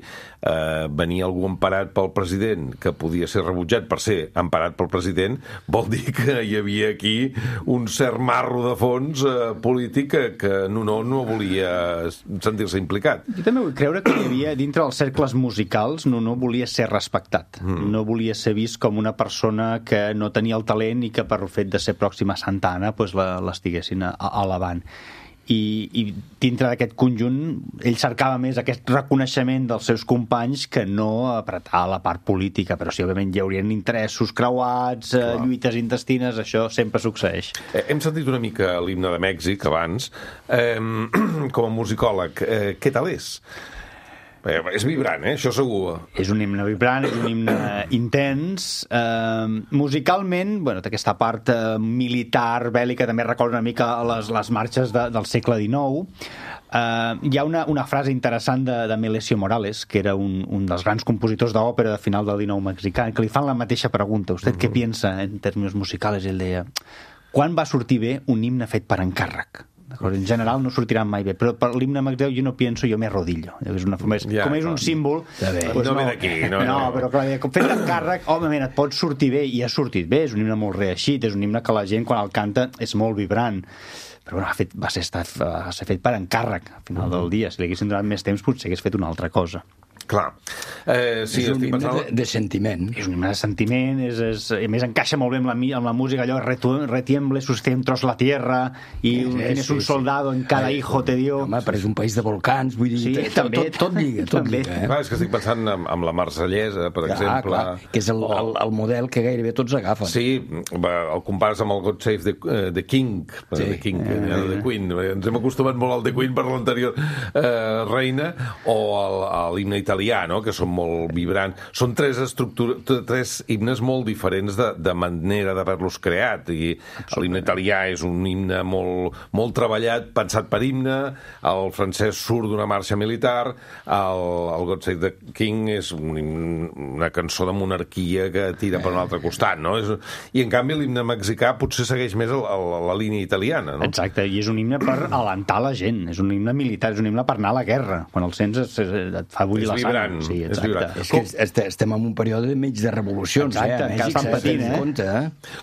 venia algú emparat pel president, que podia ser rebutjat per ser emparat pel president, vol dir que hi havia aquí un cert marro de fons polític que no volia sentir-se implicat. Jo també vull creure que hi havia, dintre dels cercles musicals, no volia ser respectat. No volia ser vist com una persona que no tenia el talent i que per fet de ser pròxima a Santa Anna l'estiguessin alabant. I dintre d'aquest conjunt ell cercava més aquest reconeixement dels seus companys que no apretar la part política, però sí, òbviament hi haurien interessos creuats, lluites intestines, això sempre succeeix. Hem sentit una mica l'himne de Mèxic abans. Com a musicòleg, què tal és? És vibrant, això segur. És un himne vibrant, és un himne intens. Musicalment, té aquesta part militar, bèl·lica, també recorda una mica les marxes del segle XIX. Hi ha una frase interessant de Melesio Morales, que era un dels grans compositors d'òpera de final del XIX mexicà, que li fan la mateixa pregunta. ¿Usted què piensa en términos musicales? I ell deia, quan va sortir bé un himne fet per encàrrec? En general no sortiran mai bé, però per l'himne mexicà jo no pienso, jo me arrodillo. Com és un símbol... No ve d'aquí. No, però clar, fet d'encàrrec, òbviament et pot sortir bé, i ha sortit bé, és un himne molt reeixit, és un himne que la gent quan el canta és molt vibrant, però va ser fet per encàrrec al final del dia. Si li haguessin donat més temps potser hagués fet una altra cosa. Clar. Sí, és un himne de sentiment. És un himne de sentiment, a més encaixa molt bé amb la música, allò retiemble sus centros la tierra i tienes un soldado en cada hijo te dio. Home, però és un país de volcans, vull dir, tot lliga. Clar, és que estic pensant amb la Marsellesa, per exemple. Clar, que és el model que gairebé tots agafen. Sí, el compares amb el God Save the King, The Queen. Ens hem acostumat molt al The Queen per l'anterior reina, o a l'himne italià, que són molt vibrants. Són tres himnes molt diferents de manera d'haver-los creat. I l'himne italià és un himne molt treballat, pensat per himne, el francès surt d'una marxa militar, el God Save the King és una cançó de monarquia que tira per un altre costat, no? I en canvi l'himne mexicà potser segueix més la línia italiana, no? Exacte, i és un himne per alentar la gent, és un himne militar, és un himne per anar a la guerra. Quan el sents et fa bullir la sang. Sí, és que estem en un període mig de revolucions. Exacte, encara estan patint,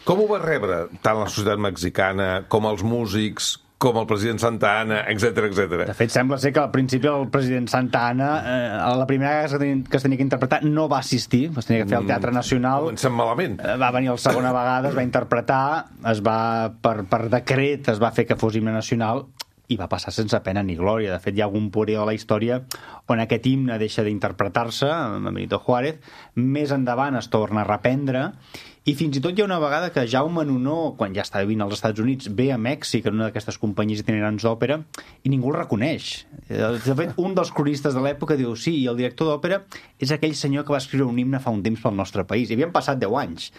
Com ho va rebre tant la societat mexicana com els músics, com el president Santa Anna, etc. De fet, sembla ser que al principi el president Santa Anna, a la primera que es tenia que interpretar, no va assistir, es tenia que fer al Teatre Nacional. Comencem malament. Va venir la segona vegada, es va interpretar, per decret es va fer que fos himne nacional, i va passar sense pena ni glòria. De fet, hi ha algun període de la història on aquest himne deixa d'interpretar-se, amb Benito Juárez, més endavant es torna a reprendre, i fins i tot hi ha una vegada que Jaume Nuno, quan ja està vivint als Estats Units, ve a Mèxic en una d'aquestes companyies itinerants d'òpera i ningú el reconeix. De fet, un dels cronistes de l'època diu sí, i el director d'òpera és aquell senyor que va escriure un himne fa un temps pel nostre país. I havien passat 10 anys.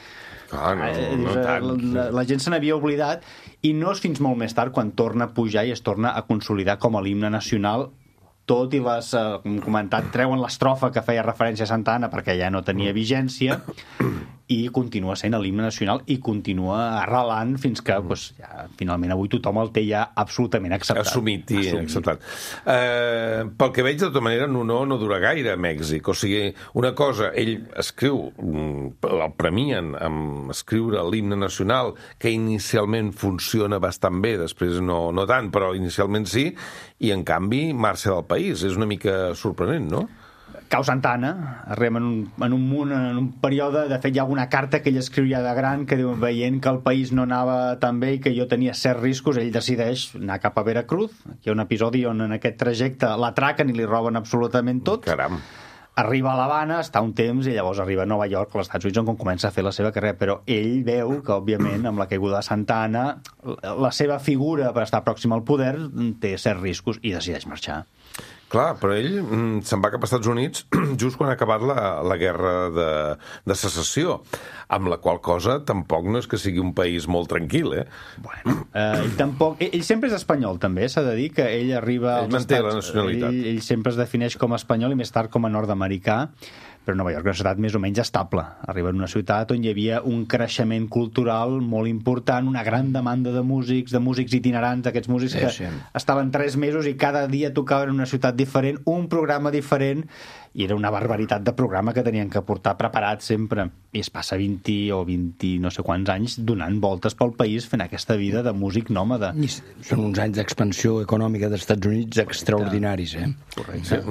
No tant. La gent se n'havia oblidat i no és fins molt més tard quan torna a pujar i es torna a consolidar com a l'himne nacional, tot i les, com comentat, treuen l'estrofa que feia referència a Santa Anna perquè ja no tenia vigència i continua sent l'himne nacional i continua arrelant fins que ja, finalment avui tothom el té ja absolutament acceptat. Assumit i acceptat. Pel que veig, de tota manera, no dura gaire a Mèxic. O sigui, una cosa, ell escriu, el premien amb escriure l'himne nacional, que inicialment funciona bastant bé, després no tant, però inicialment sí, i en canvi marxa del país. És una mica sorprenent, no? Cau Santa Anna, arribem en un període, de fet hi ha alguna carta que ell escriu ja de gran que diu, veient que el país no anava tan bé i que jo tenia certs riscos, ell decideix anar cap a Veracruz. Aquí hi ha un episodi on en aquest trajecte l'atraquen i li roben absolutament tot. Caram. Arriba a l'Havana, està un temps i llavors arriba a Nova York, als Estats Units, on comença a fer la seva carrera, però ell veu que, òbviament, amb la caiguda de Santa Anna, la seva figura per estar pròxim al poder té certs riscos i decideix marxar. Clar, però ell se'n va cap als Estats Units just quan ha acabat la guerra de secessió, amb la qual cosa tampoc no és que sigui un país molt tranquil, eh? Bueno, ell sempre és espanyol, també, s'ha de dir que ell arriba als Estats... Ell manté la nacionalitat. Ell sempre es defineix com a espanyol i més tard com a nord-americà, però Nova York és una ciutat més o menys estable. Arriba en una ciutat on hi havia un creixement cultural molt important, una gran demanda de músics itinerants, aquests músics que estaven 3 mesos i cada dia tocaven en una ciutat diferent, un programa diferent, i era una barbaritat de programa que tenien que portar preparat sempre. I es passa 20 o 20 no sé quants anys donant voltes pel país fent aquesta vida de músic nòmada. Són uns anys d'expansió econòmica dels Estats Units extraordinaris, eh? Correcte.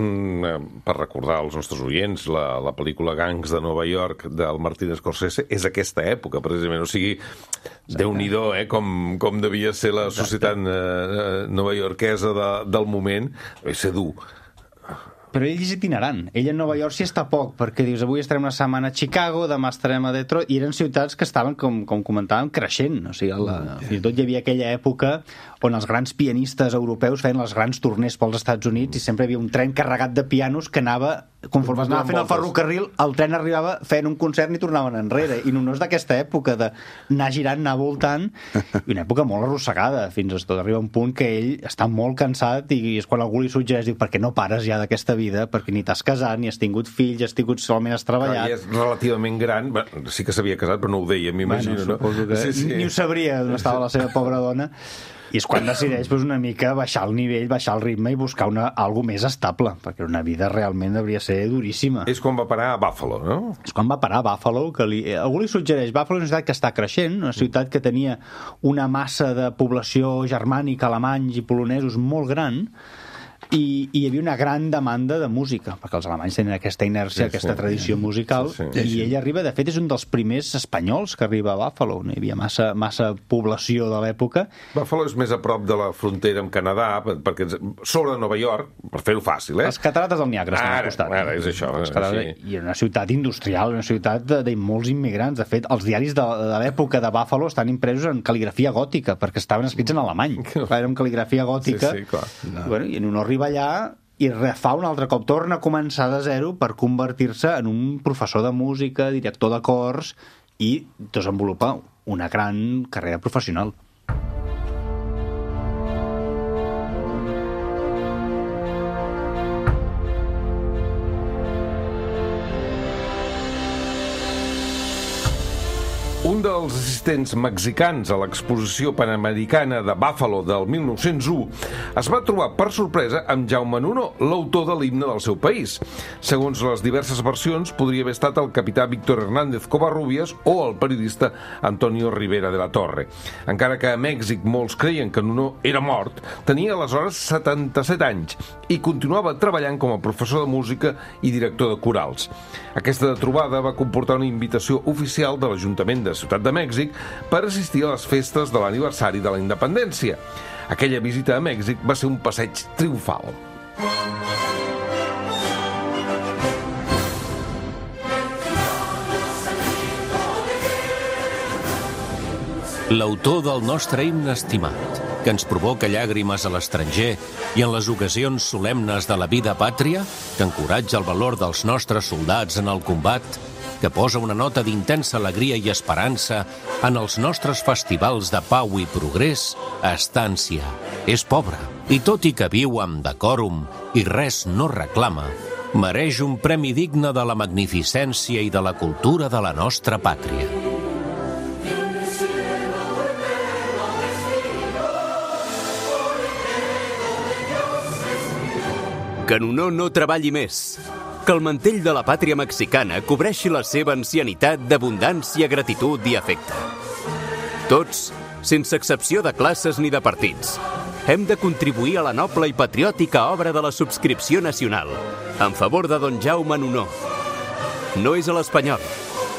Per recordar als nostres oients, la pel·lícula Gangs de Nova York del Martin Scorsese és aquesta època, precisament. O sigui, Déu-n'hi-do, com devia ser la societat novaiorquesa del moment. Va ser dur. Però ell és itinerant. Ell a Nova York s'hi està poc, perquè dius, avui estarem una setmana a Chicago, demà estarem a Detroit, i eren ciutats que estaven, com comentàvem, creixent. O sigui, fins i tot hi havia aquella època on els grans pianistes europeus feien les grans turners pels Estats Units i sempre hi havia un tren carregat de pianos que anava, conforme es anava fent el ferrocarril, el tren arribava fent un concert i tornaven enrere. I no és d'aquesta època d'anar girant, anar voltant, i una època molt arrossegada, fins tot arriba un punt que ell està molt cansat i és quan algú li suggereix, diu, per què no pares ja d'aquesta vida? Perquè ni t'has casat, ni has tingut fills, solament has treballat. Clar, és relativament gran, sí que s'havia casat, però no ho deia, m'imagino, no? Suposo que ni ho sabria on estava la seva pobra dona. I és quan decideix una mica baixar el nivell, baixar el ritme i buscar algo més estable, perquè una vida realment hauria de ser duríssima. És quan va parar a Buffalo, no? És quan va parar a Buffalo, que algú li suggereix. Buffalo és una ciutat que està creixent, una ciutat que tenia una massa de població germànica, alemanys i polonesos molt gran, i hi havia una gran demanda de música, perquè els alemanys tenen aquesta inèrcia, aquesta tradició musical, i ell arriba, de fet, és un dels primers espanyols que arriba a Buffalo. No hi havia massa població de l'època. Buffalo és més a prop de la frontera amb Canadà, perquè sobre Nova York, per fer-ho fàcil, Les catarates del Niagara estan al costat. Ara, és això. I una ciutat industrial, una ciutat de molts immigrants. De fet, els diaris de l'època de Buffalo estan impresos en cal·ligrafia gòtica, perquè estaven escrits en alemany. Era en cal·ligrafia gòtica. Sí, clar. I en un arriba allà i refà un altre cop, torna a començar de zero per convertir-se en un professor de música, director de cors i desenvolupar una gran carrera professional. Un dels assistents mexicans a l'exposició panamericana de Buffalo del 1901 es va trobar per sorpresa amb Jaume Nuno, l'autor de l'himne del seu país. Segons les diverses versions, podria haver estat el capità Víctor Hernández Covarrubias o el periodista Antonio Rivera de la Torre. Encara que a Mèxic molts creien que Nuno era mort, tenia aleshores 77 anys i continuava treballant com a professor de música i director de corals. Aquesta trobada va comportar una invitació oficial de l'Ajuntament de Ciutat de Mèxic per assistir a les festes de l'aniversari de la independència. Aquella visita a Mèxic va ser un passeig triomfal. L'autor del nostre himne estimat, que ens provoca llàgrimes a l'estranger i en les ocasions solemnes de la vida pàtria, que encoratja el valor dels nostres soldats en el combat, que posa una nota d'intensa alegria i esperança en els nostres festivals de pau i progrés, Estància és pobre, i tot i que viu amb decòrum i res no reclama, mereix un premi digne de la magnificència i de la cultura de la nostra pàtria. Que Nuno no treballi més. Que el mantell de la pàtria mexicana cobreixi la seva ancianitat d'abundància, gratitud i afecte. Tots, sense excepció de classes ni de partits, hem de contribuir a la noble i patriòtica obra de la subscripció nacional en favor de don Jaume Nuno. No és a l'espanyol,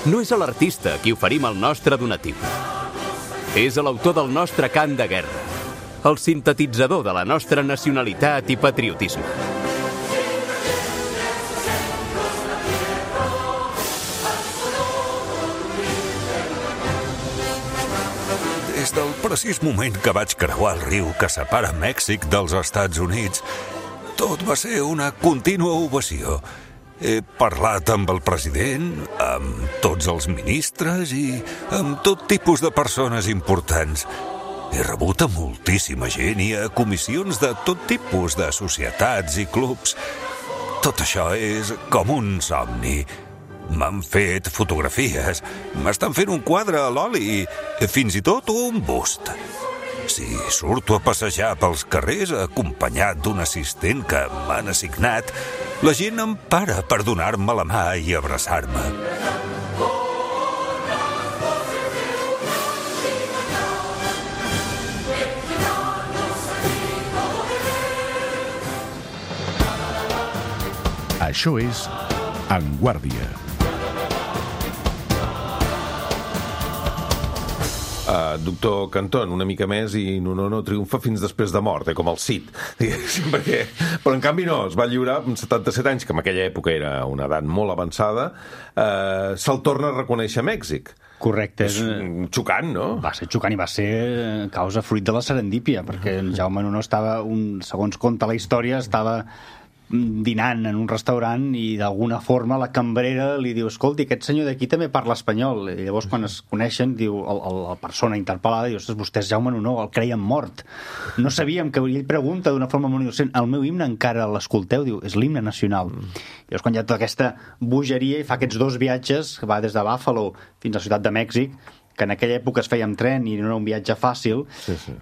no és a l'artista a qui oferim el nostre donatiu. És a l'autor del nostre cant de guerra, el sintetitzador de la nostra nacionalitat i patriotisme. Des del precís moment que vaig creuar el riu que separa Mèxic dels Estats Units, tot va ser una contínua ovació. He parlat amb el president, amb tots els ministres i amb tot tipus de persones importants. He rebut a moltíssima gent i a comissions de tot tipus de societats i clubs. Tot això és com un somni. M'han fet fotografies, m'estan fent un quadre a l'oli, fins i tot un bust. Si surto a passejar pels carrers acompanyat d'un assistent que m'han assignat, la gent em para per donar-me la mà i abraçar-me. Això és En Guàrdia. Doctor Cantón, una mica més i Nuno no triomfa fins després de mort, com el Cid, diguéssim, perquè... Però en canvi no, es va lliurar amb 77 anys, que en aquella època era una edat molt avançada, se'l torna a reconèixer a Mèxic. Correcte. És xocant, no? Va ser xocant i va ser causa fruit de la serendípia, perquè en Jaume Nuno estava, segons conta la història, estava dinant en un restaurant i d'alguna forma la cambrera li diu: escolti, aquest senyor d'aquí també parla espanyol. I llavors quan es coneixen diu la persona interpel·lada, diu: ostres, vostè és Jaume Nuno, el creiem mort. No sabíem que... Ell pregunta d'una forma molt innocent: el meu himne encara l'escolteu? Diu: és l'himne nacional. I llavors quan hi ha tota aquesta bogeria i fa aquests 2 viatges, que va des de Buffalo fins a la ciutat de Mèxic, que en aquella època es feia amb tren i no era un viatge fàcil,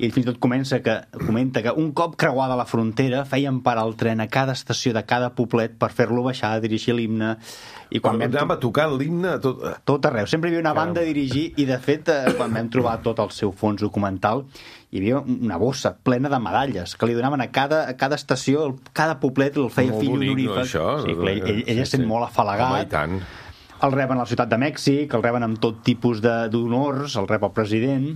i fins i tot comenta que un cop creuada la frontera feien parar el tren a cada estació de cada poblet per fer-lo baixar, dirigir l'himne. I quan anava tocant l'himne tot arreu. Sempre hi havia una banda a dirigir i, de fet, quan vam trobar tot el seu fons documental, hi havia una bossa plena de medalles que li donaven a cada estació, cada poblet el feia fill honorífic. Ell es sent molt afalagat. Home, i tant. El reben a la ciutat de Mèxic, el reben amb tot tipus d'honors, el rep el president.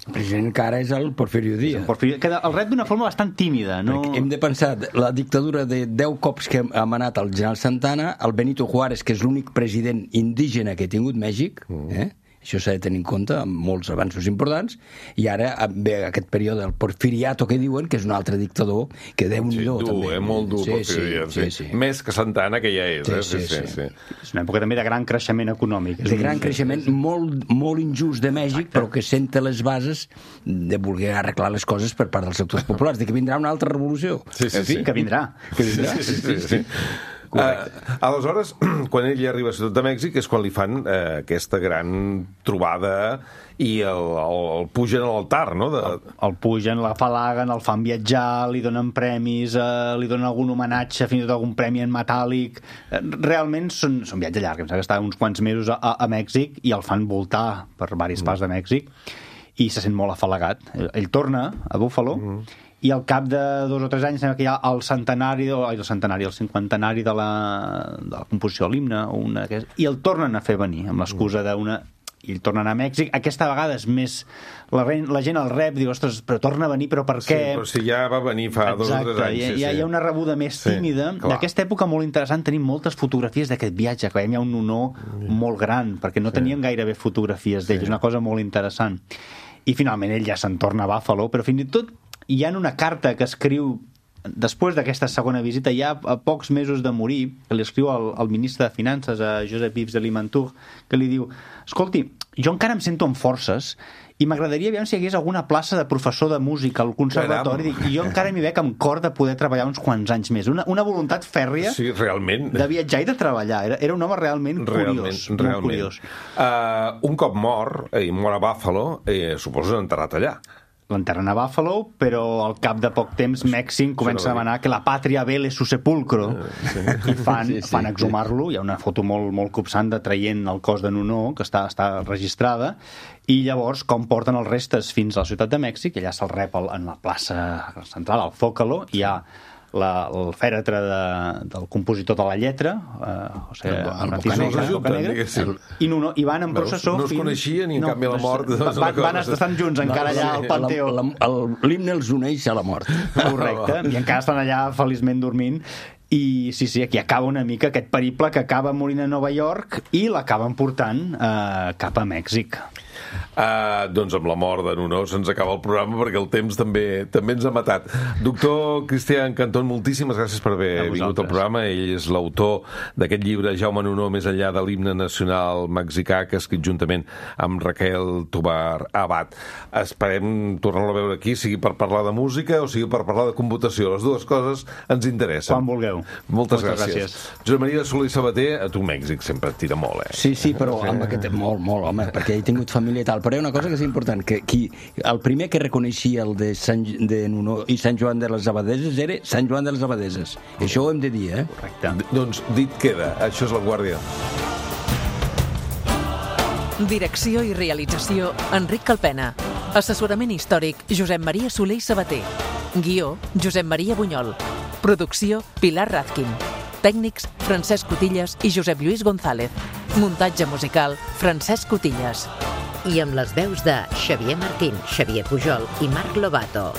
El president encara és el Porfirio Díaz. Que el rep d'una forma bastant tímida. No? Perquè hem de pensar, la dictadura de 10 cops que ha manat el general Santana, el Benito Juárez, que és l'únic president indígena que ha tingut Mèxic, això s'ha de tenir en compte, amb molts avanços importants, i ara ve aquest període del Porfiriato, que diuen, que és un altre dictador, que Déu-n'hi-do, també. Molt dur, Porfiriato. Més que Santana, que ja és. Sí. És una època també de gran creixement econòmic. De gran creixement, molt injust de Mèxic, però que senta les bases de voler arreglar les coses per part dels sectors populars, de que vindrà una altra revolució. Sí, que vindrà. Sí. Aleshores, quan ell arriba a Ciutat de Mèxic és quan li fan aquesta gran trobada i el pugen a l'altar, no? El pugen, l'afalaguen, el fan viatjar, li donen premis, li donen algun homenatge, fins i tot algun premi en metàl·lic. Realment són viatges llargs, em sembla que està uns quants mesos a Mèxic i el fan voltar per diverses parts de Mèxic i se sent molt afalagat. Ell torna a Buffalo i al cap de 2 o 3 anys sembla que hi ha el cinquantenari de la composició de l'himne, i el tornen a fer venir amb l'excusa d'una i ell torna a anar a Mèxic. Aquesta vegada és més... La gent el rep, diu, ostres, però torna a venir, però per què? Sí, però si ja va venir fa 2 o 3 anys. Hi ha una rebuda més tímida. D'aquesta època molt interessant, tenim moltes fotografies d'aquest viatge, que veiem hi ha un Nuno molt gran, perquè no tenien gairebé fotografies d'ell, és una cosa molt interessant. I finalment ell ja se'n torna a Buffalo, però fins i tot hi ha una carta que escriu després d'aquesta segona visita, ja a pocs mesos de morir, que li escriu al ministre de Finances, a Josep Yves de Limantour, que li diu, escolti, jo encara em sento amb forces i m'agradaria veure si hi hagués alguna plaça de professor de música al conservatori, i jo encara m'hi veig amb cor de poder treballar uns quants anys més. Una voluntat fèrria de viatjar i de treballar. Era un home realment curiós. Molt curiós. Un cop mor a Buffalo, suposo enterrat allà. L'enterren a Buffalo, però al cap de poc temps Mèxic comença a demanar que la pàtria vele su sepulcro i fan exhumar-lo. Hi ha una foto molt copsant de traient el cos de Nuno, que està registrada, i llavors com porten els restes fins a la ciutat de Mèxic, i allà se'l rep en la plaça central, al Zócalo, hi ha el fèretre del compositor de la lletra, el Bocanegra, i van en processó. No es coneixien i en canvi la mort... Estan junts encara allà al Panteó. L'himne els uneix a la mort. Correcte, i encara estan allà feliçment dormint. I sí, aquí acaba una mica aquest periple que acaba morint a Nova York i l'acaben portant cap a Mèxic. Doncs amb la mort de Nuno se'ns acaba el programa perquè el temps també ens ha matat. Doctor Cristian Cantón, moltíssimes gràcies per haver vingut al programa. Ell és l'autor d'aquest llibre Jaume Nuno, més enllà de l'himne nacional mexicà, que ha escrit juntament amb Raquel Tobar Abad. Esperem tornar-lo a veure aquí, sigui per parlar de música o sigui per parlar de computació. Les dues coses ens interessen. Quan vulgueu. Moltes gràcies. Josep Maria Soler i Sabater, a tu Mèxic sempre et tira molt, Sí, però amb aquest molt, home, perquè he tingut família i tal. Però hi ha una cosa que és important, que el primer que reconeixia el de Nuno i Sant Joan de les Abadeses era Sant Joan de les Abadeses. Això ho hem de dir, Correcte. Doncs dit queda. Això és La Guàrdia. Direcció i realització, Enric Calpena. Assessorament històric, Josep Maria Soler i Sabater. Guió, Josep Maria Bunyol. Producció, Pilar Razkin. Tècnics, Francesc Cotillas i Josep Lluís González. Muntatge musical, Francesc Cotillas. I amb les veus de Xavier Martín, Xavier Pujol i Marc Lobato.